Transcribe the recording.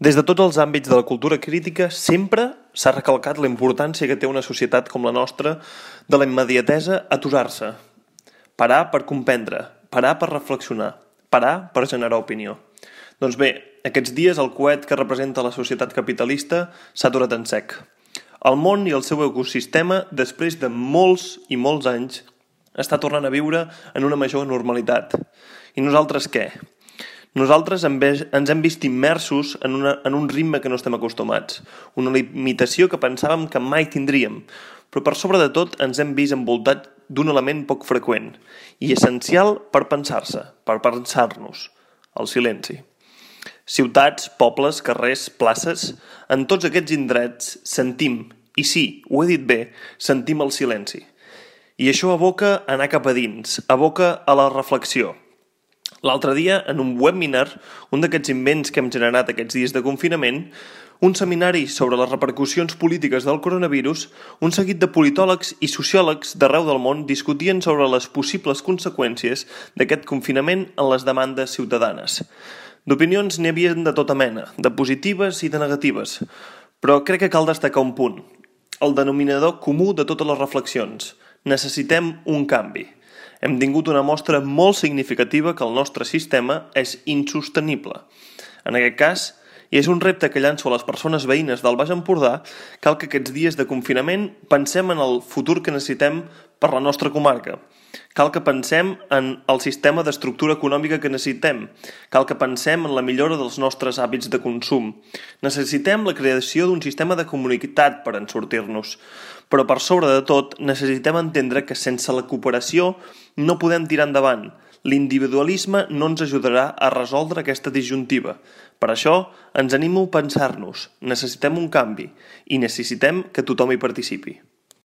Des de tots els àmbits de la cultura crítica sempre s'ha recalcat la importància que té una societat com la nostra de la immediatesa a aturar-se, parar per comprendre, parar per reflexionar, parar per generar opinió. Doncs bé, aquests dies el coet que representa la societat capitalista s'ha aturat en sec. El món i el seu ecosistema, després de molts i molts anys, està tornant a viure en una major normalitat. I nosaltres què? Nosaltres ens hem vist immersos en un ritme que no estem acostumats, una limitació que pensàvem que mai tindríem, però per sobre de tot ens hem vist envoltats d'un element poc freqüent i essencial per pensar-se, per pensar-nos, el silenci. Ciutats, pobles, carrers, places, en tots aquests indrets sentim, i sí, ho he dit bé, sentim el silenci. I això aboca a anar cap a dins, aboca a la reflexió. L'altre dia, en un webinar, un d'aquests invents que hem generat aquests dies de confinament, un seminari sobre les repercussions polítiques del coronavirus, un seguit de politòlegs i sociòlegs d'arreu del món discutien sobre les possibles conseqüències d'aquest confinament en les demandes ciutadanes. D'opinions n'hi havia de tota mena, de positives i de negatives, però crec que cal destacar un punt, el denominador comú de totes les reflexions. Necessitem un canvi. Hem tingut una mostra molt significativa que el nostre sistema és insostenible. En aquest cas, i és un repte que llanço a les persones veïnes del Baix Empordà, cal que aquests dies de confinament pensem en el futur que necessitem per la nostra comarca. Cal que pensem en el sistema d'estructura econòmica que necessitem. Cal que pensem en la millora dels nostres hàbits de consum. Necessitem la creació d'un sistema de comunitat per en sortir-nos. Però per sobre de tot, necessitem entendre que sense la cooperació no podem tirar endavant. L'individualisme no ens ajudarà a resoldre aquesta disjuntiva. Per això, ens animo a pensar-nos. Necessitem un canvi i necessitem que tothom hi participi.